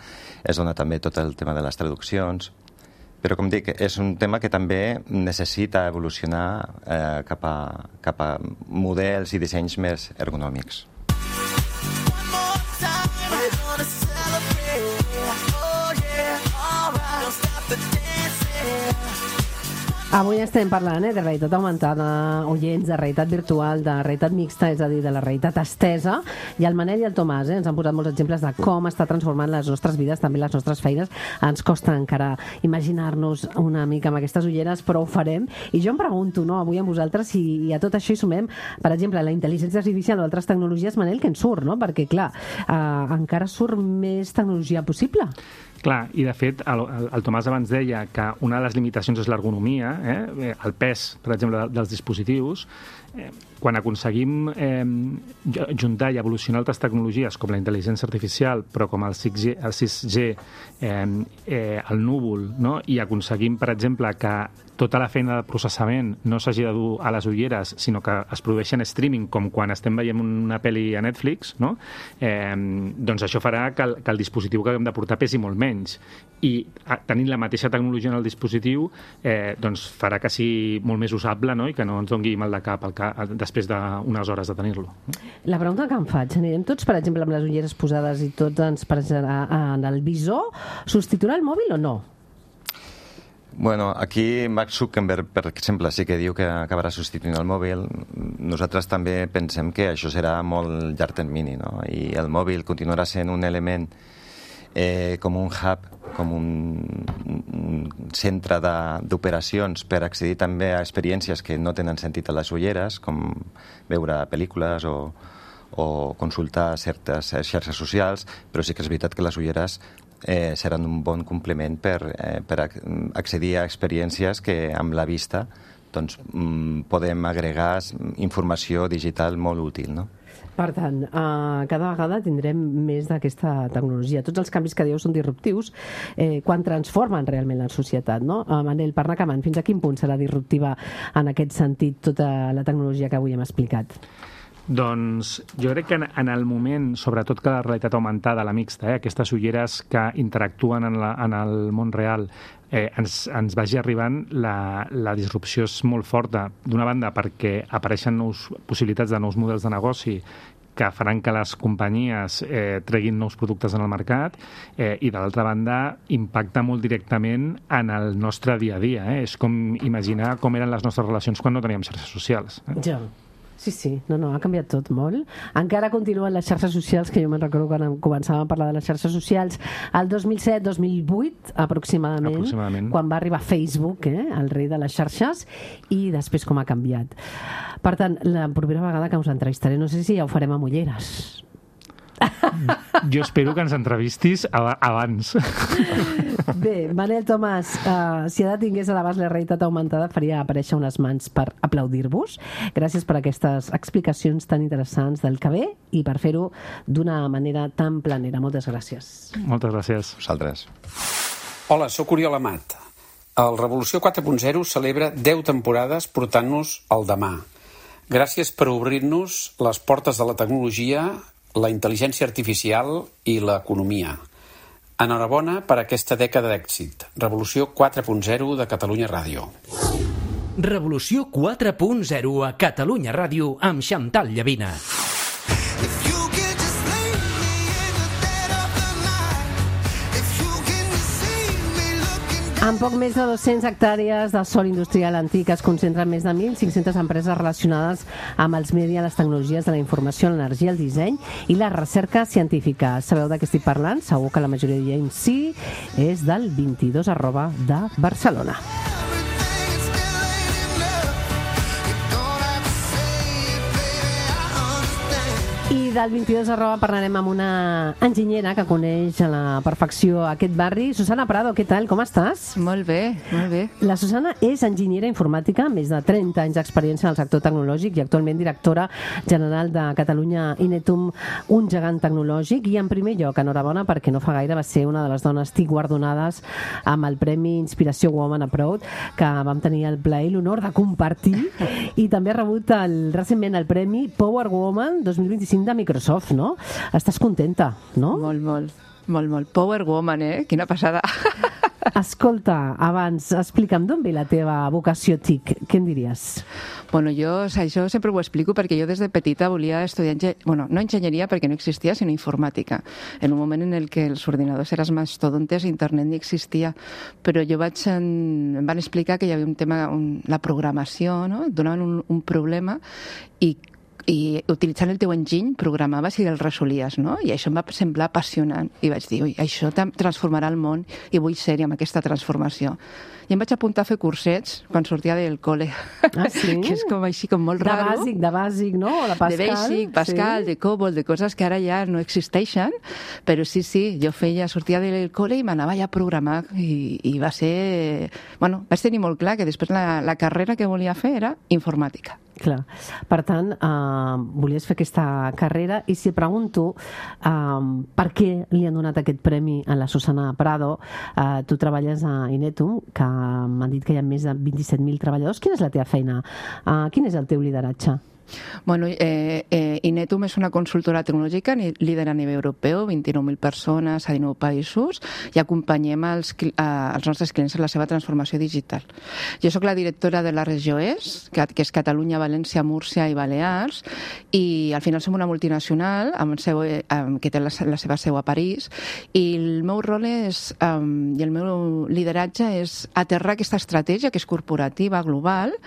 també tot el tema de les traduccions, però, com dic, és un tema que també necessita evolucionar cap a models i dissenys més ergonòmics. Avui estem parlant de realitat augmentada, oients, de realitat virtual, de realitat mixta, és a dir, de la realitat estesa, i el Manel i el Tomàs ens han posat molts exemples de com està transformant les nostres vides, també les nostres feines. Ens costa encara imaginar-nos una mica amb aquestes ulleres, però ho farem. I jo em pregunto, avui amb vosaltres, si a tot això hi sumem, per exemple, la intel·ligència artificial o altres tecnologies, Manel, que en surt, perquè, clar, encara surt més tecnologia possible. Clar, i de fet, el Tomàs abans deia que una de les limitacions és l'ergonomia, el pes, per exemple, dels dispositius. quan aconseguim juntar i evolucionar altres tecnologies com la intel·ligència artificial, però com el 6G, el núvol, no? I aconseguim, per exemple, que tota la feina de processament no s'hagi de dur a les ulleres, sinó que es produeixi en streaming, com quan estem veient una pel·li a Netflix, no? Doncs això farà que el dispositiu que hem de portar pesi molt menys. I tenint la mateixa tecnologia en el dispositiu, doncs farà que sigui molt més usable, no? I que no ens doni mal de cap després d'unes hores de tenir-lo. La pregunta que em faig, anirem tots, per exemple, amb les ulleres posades i tots ens passarà en el visor, substituirà el mòbil o no? Bueno, aquí Mark Zuckerberg, per exemple, sí que diu que acabarà substituint el mòbil. Nosaltres també pensem que això serà molt llarg termini, no? I el mòbil continuarà sent un element com un hub, com un centre d'operacions per accedir també a experiències que no tenen sentit a les ulleres, com veure pel·lícules o consultar certes xarxes socials, però sí que és veritat que les ulleres seran un bon complement per accedir a experiències que amb la vista doncs, podem agregar informació digital molt útil, no? Per tant, cada vegada tindrem més d'aquesta tecnologia. Tots els canvis que dieu són disruptius quan transformen realment la societat, no? Manel, per anar acabant, fins a quin punt serà disruptiva en aquest sentit tota la tecnologia que avui hem explicat? Doncs jo crec que en el moment, sobretot que la realitat augmentada, la mixta, aquestes ulleres que interactuen en el món real, ens vagi arribant, la disrupció és molt forta. D'una banda, perquè apareixen possibilitats de nous models de negoci que faran que les companyies treguin nous productes en el mercat i, de l'altra banda, impacta molt directament en el nostre dia a dia. És com imaginar com eren les nostres relacions quan no teníem xarxes socials. Ja. Sí, ha canviat tot molt. Encara continuen les xarxes socials, que jo me'n recordo quan començàvem a parlar de les xarxes socials el 2007-2008, aproximadament, quan va arribar Facebook, el rei de les xarxes, i després com ha canviat. Per tant, la propera vegada que us entrevistaré, no sé si ja ho farem amb ulleres. Jo espero que ens entrevistis abans. Bé, Manel Tomàs, si ara tingués a l'abast la realitat augmentada, faria aparèixer unes mans per aplaudir-vos. Gràcies per aquestes explicacions tan interessants del que ve i per fer-ho d'una manera tan planera. Moltes gràcies. Moltes gràcies. Vosaltres. Hola, sóc Oriol Amat. El Revolució 4.0 celebra 10 temporades portant-nos al demà. Gràcies per obrir-nos les portes de la tecnologia, la intel·ligència artificial i l'economia. Enhorabona per aquesta dècada d'èxit. Revolució 4.0 de Catalunya Ràdio. Revolució 4.0 a Catalunya Ràdio amb Xantal Llavina. Amb poc més de 200 hectàrees de sòl industrial antic es concentren més de 1.500 empreses relacionades amb els mèdia, les tecnologies de la informació, l'energia, el disseny i la recerca científica. Sabeu de què estic parlant? Segur que la majoria diem sí. És del 22@ de Barcelona. I del 22@ parlarem amb una enginyera que coneix a la perfecció aquest barri. Susana Prado, què tal? Com estàs? Molt bé, molt bé. La Susana és enginyera informàtica, més de 30 anys d'experiència en el sector tecnològic i actualment directora general de Catalunya Inetum, un gegant tecnològic. I en primer lloc, enhorabona, perquè no fa gaire va ser una de les dones TIC guardonades amb el Premi Inspiració Woman Abroad, que vam tenir el plaer i l'honor de compartir. I també ha rebut recentment el Premi Power Woman 2025 de Microsoft, no? Estàs contenta, no? Molt. Power Woman, Quina passada. Escolta, abans, explica'm d'on ve la teva vocació TIC. Què en diries? Bueno, jo això sempre ho explico perquè jo des de petita volia estudiar, no enginyeria perquè no existia, sinó informàtica. En un moment en el que els ordinadors eren mastodontes, internet ni existia. Però jo em van explicar que hi havia un tema, la programació, no? Et donaven un problema i utilitzant el teu enginy programaves i el resolies, no? I això em va semblar apassionant. I vaig dir, això transformarà el món i vull ser-hi amb aquesta transformació. I em vaig apuntar a fer cursets quan sortia del cole. Ah, sí? Que és com així, com molt raro. De bàsic, no? O de Pascal. De Basic, Pascal, de COBOL, de coses que ara ja no existeixen, però sí, jo sortia del cole i m'anava ja a programar i va ser... Bueno, vaig tenir molt clar que després la carrera que volia fer era informàtica. Clar. Per tant, volies fer aquesta carrera i si pregunto per què li han donat aquest premi a la Susana Prado, tu treballes a Inetum, que m'han dit que hi ha més de 27.000 treballadors. Quina és la teva feina? Quin és el teu lideratge? Bueno, Inetum és una consultora tecnològica líder a nivell europeu, 29.000 persones a 19 països, i acompanyem els nostres clients en la seva transformació digital. Jo sóc la directora de la regió est, que és Catalunya, València, Múrcia i Balears, i al final som una multinacional que té la seva seu a París, i el meu rol i el meu lideratge és aterrar aquesta estratègia, que és corporativa, global,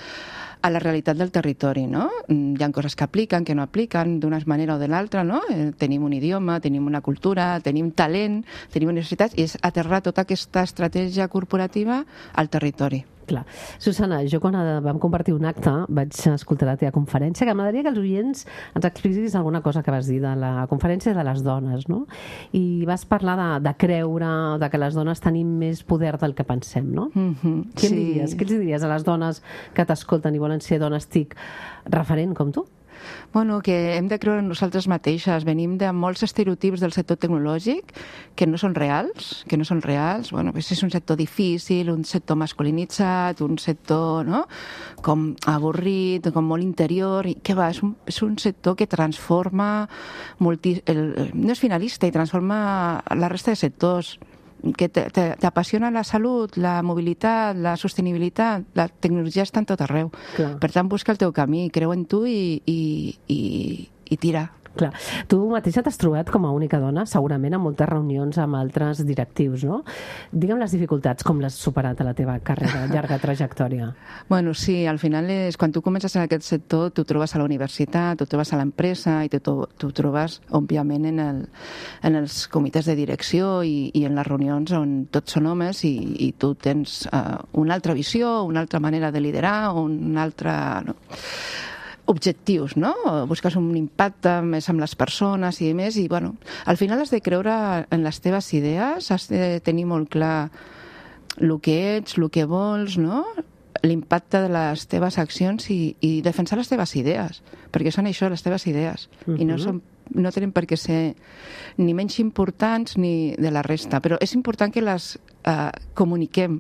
a la realitat del territori, no? Hi ha coses que apliquen, que no apliquen, d'una manera o de l'altra, no? Tenim un idioma, tenim una cultura, tenim talent, tenim universitats, i és aterrar tota aquesta estratègia corporativa al territori. Clar. Susana, jo quan vam compartir un acte vaig escoltar la teva conferència, que m'agradaria que els oients ens expliquis alguna cosa que vas dir de la conferència de les dones, no? I vas parlar de creure, de que les dones tenim més poder del que pensem, no? Què els diries a les dones que t'escolten i volen ser dones TIC referent com tu? Bueno, que hem de creure en nosaltres mateixes. Venim de molts estereotips del sector tecnològic que no són reals, Bueno, és un sector difícil, un sector masculinitzat, un sector, no?, com avorrit, com molt interior, i què va, és un sector que transforma, no és finalista, i transforma la resta de sectors. Que t'apassiona la salut, la mobilitat, la sostenibilitat, la tecnologia està en tot arreu. Clar. Per tant, busca el teu camí, creu en tu i tira. Clar. Tu mateixa t'has trobat com a única dona, segurament, en moltes reunions amb altres directius, no? Digue'm les dificultats, com l'has superat a la teva carrera, llarga trajectòria. Bueno, sí, al final quan tu comences en aquest sector, tu trobes a la universitat, tu trobes a l'empresa i tu trobes, òbviament, en els comitès de direcció i en les reunions on tots són homes i tu tens una altra visió, una altra manera de liderar, una altra... No? Objectius, no? Busques un impacte més amb les persones i més, i bueno, al final has de creure en les teves idees, has de tenir molt clar el que ets, el que vols, no? L'impacte de les teves accions i defensar les teves idees, perquè són això, les teves idees, i no tenen per què ser ni menys importants ni de la resta, però és important que les comuniquem,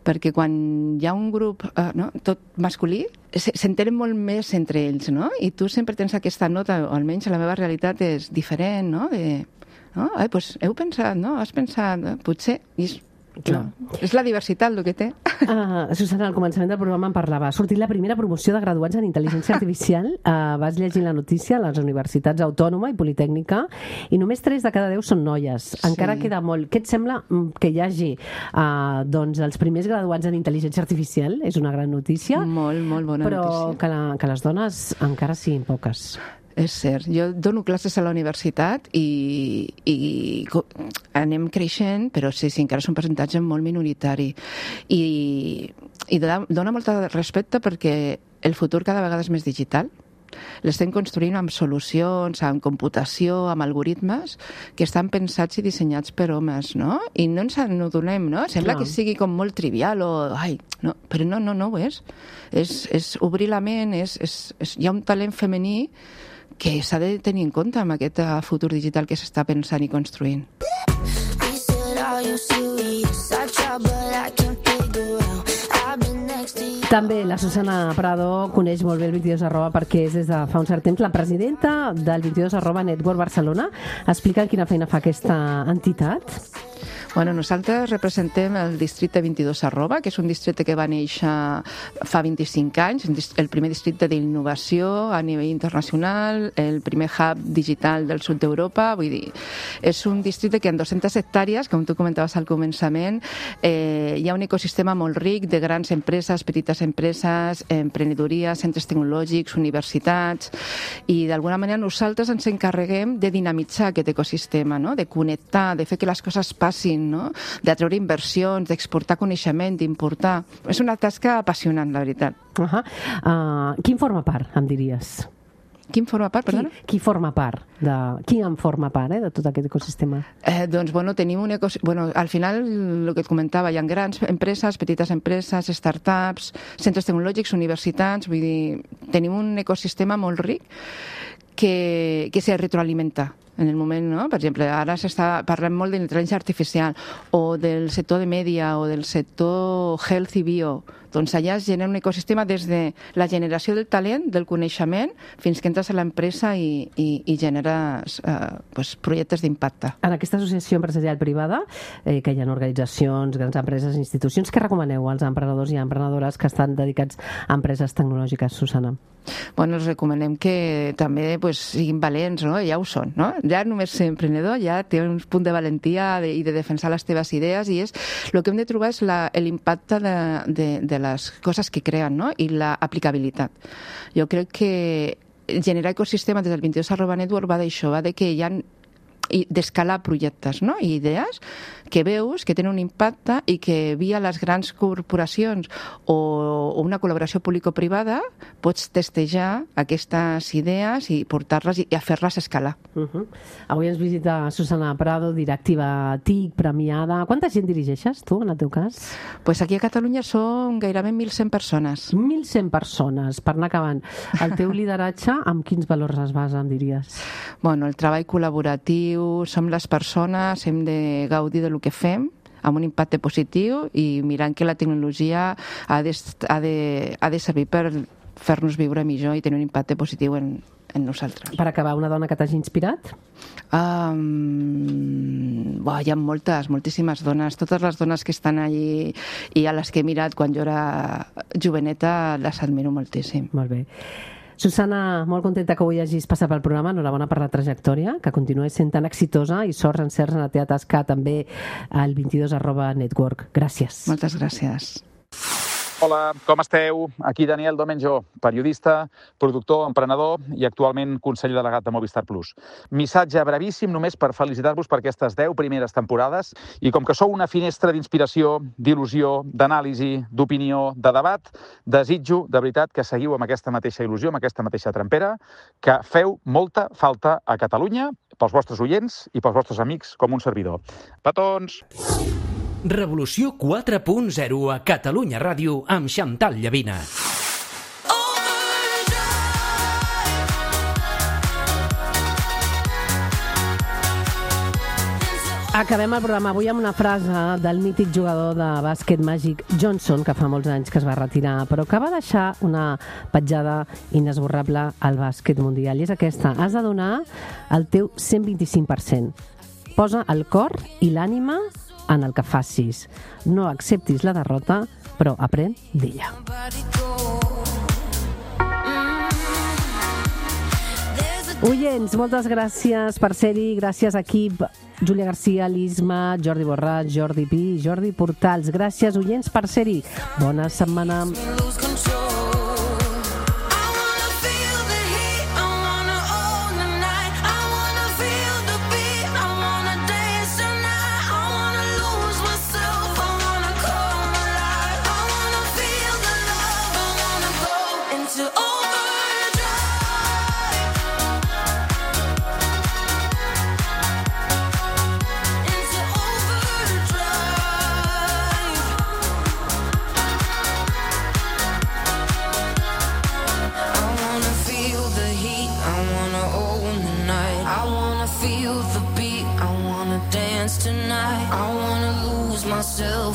perquè quan hi ha un grup tot masculí, s'entenen molt més entre ells, no? I tu sempre tens aquesta nota, o almenys la meva realitat és diferent, no? Doncs heu pensat, no? Has pensat, potser... No. És la diversitat el que té. Susana, al començament del programa em parlava. Ha sortit la primera promoció de graduats en intel·ligència artificial. Vas llegir la notícia a les universitats Autònoma i Politècnica i només 3 de cada 10 són noies. Encara queda molt. Què et sembla que hi hagi els primers graduats en intel·ligència artificial? És una gran notícia. Molt bona notícia. Però que les dones encara siguin poques. És cert. Jo dono classes a la universitat i anem creixent, però sí, encara és un percentatge molt minoritari. I dona molt respecte perquè el futur cada vegada és més digital. L'estem construint amb solucions, amb computació, amb algoritmes que estan pensats i dissenyats per homes, no? I no ens n'adonem, no? Sembla que sigui com molt trivial o... no, però no ho és. És obrir la ment, hi ha un talent femení que s'ha de tenir en compte amb aquest futur digital que s'està pensant i construint. També la Susana Prado coneix molt bé el 22@ perquè és des de fa un cert temps la presidenta del 22@ Network Barcelona. Explica quina feina fa aquesta entitat. Bueno, nosaltres representem el districte 22@, que és un districte que va néixer fa 25 anys, el primer districte d'innovació a nivell internacional, el primer hub digital del sud d'Europa, vull dir, és un districte que en 200 hectàrees, com tu comentaves al començament, hi ha un ecosistema molt ric de grans empreses, petites empreses, emprenedoria, centres tecnològics, universitats, i d'alguna manera nosaltres ens encarreguem de dinamitzar aquest ecosistema, no? De connectar, de fer que les coses passin, no? D'atreure inversions, d'exportar coneixement, d'importar. És una tasca apassionant, la veritat. Qui en forma part, em diries? Qui en forma part, perdona? Qui forma part? Qui en forma part, de tot aquest ecosistema? Doncs, tenim un ecosistema... al final, el que et comentava, hi ha grans empreses, petites empreses, startups, centres tecnològics, universitats, vull dir, tenim un ecosistema molt ric que se retroalimenta en el moment, no? Per exemple, ara parlem molt d'intel·ligència artificial o del sector de mèdia o del sector health i bio. Doncs allà es genera un ecosistema des de la generació del talent, del coneixement, fins que entres a l'empresa i generes projectes d'impacte. En aquesta associació empresarial privada, que hi ha organitzacions, grans empreses, institucions, què recomaneu als emprenedors i emprenedores que estan dedicats a empreses tecnològiques, Susana? Els recomanem que també siguin valents, no? Ja ho són, no? Ja només ser emprenedor ja té un punt de valentia i de defensar les teves idees i el que hem de trobar és l'impacte de les coses que creen, no? I l'aplicabilitat. Jo crec que generar ecosistema des del 22@network va d'això, va de que hi ha d'escalar projectes, no? I idees que veus que tenen un impacte i que via les grans corporacions o una col·laboració público-privada pots testejar aquestes idees i portar-les i fer-les escalar. Avui ens visita Susana Prado, directiva TIC, premiada. Quanta gent dirigeixes tu, en el teu cas? Pues aquí a Catalunya són gairebé 1.100 persones. 1.100 persones, per anar acabant. El teu lideratge, amb quins valors es basa, em diries? El treball col·laboratiu, som les persones, hem de gaudir del que fem amb un impacte positiu i mirant que la tecnologia ha de servir per fer-nos viure millor i tenir un impacte positiu en nosaltres. Per acabar, una dona que t'hagi inspirat? Hi ha moltíssimes dones. Totes les dones que estan allí i a les que he mirat quan jo era joveneta les admiro moltíssim. Molt bé. Susana, molt contenta que avui hagis passat pel programa. Enhorabona per la trajectòria, que continuïs sent tan exitosa i sort encerts en la teva tasca també al 22@network. Gràcies. Moltes gràcies. Hola, com esteu? Aquí Daniel Domenjo, periodista, productor, emprenedor i actualment conseller delegat de Movistar Plus. Missatge brevíssim només per felicitar-vos per aquestes 10 primeres temporades i com que sou una finestra d'inspiració, d'il·lusió, d'anàlisi, d'opinió, de debat, desitjo de veritat que seguiu amb aquesta mateixa il·lusió, amb aquesta mateixa trempera, que feu molta falta a Catalunya pels vostres oients i pels vostres amics com un servidor. Petons! Revolució 4.0 a Catalunya Ràdio amb Xantal Llavina. Acabem el programa avui amb una frase del mític jugador de bàsquet Magic Johnson, que fa molts anys que es va retirar, però que va deixar una petjada inesborrable al bàsquet mundial. I és aquesta: has de donar el teu 125%. Posa el cor i l'ànima en el que facis. No acceptis la derrota, però aprèn d'ella. Oients, moltes gràcies per ser-hi. Gràcies, equip. Júlia Garcia, l'Isma, Jordi Borràs, Jordi Pi, Jordi Portals. Gràcies, oients, per ser-hi. Bona setmana.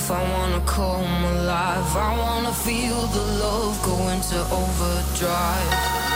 I wanna come alive. I wanna feel the love go into overdrive.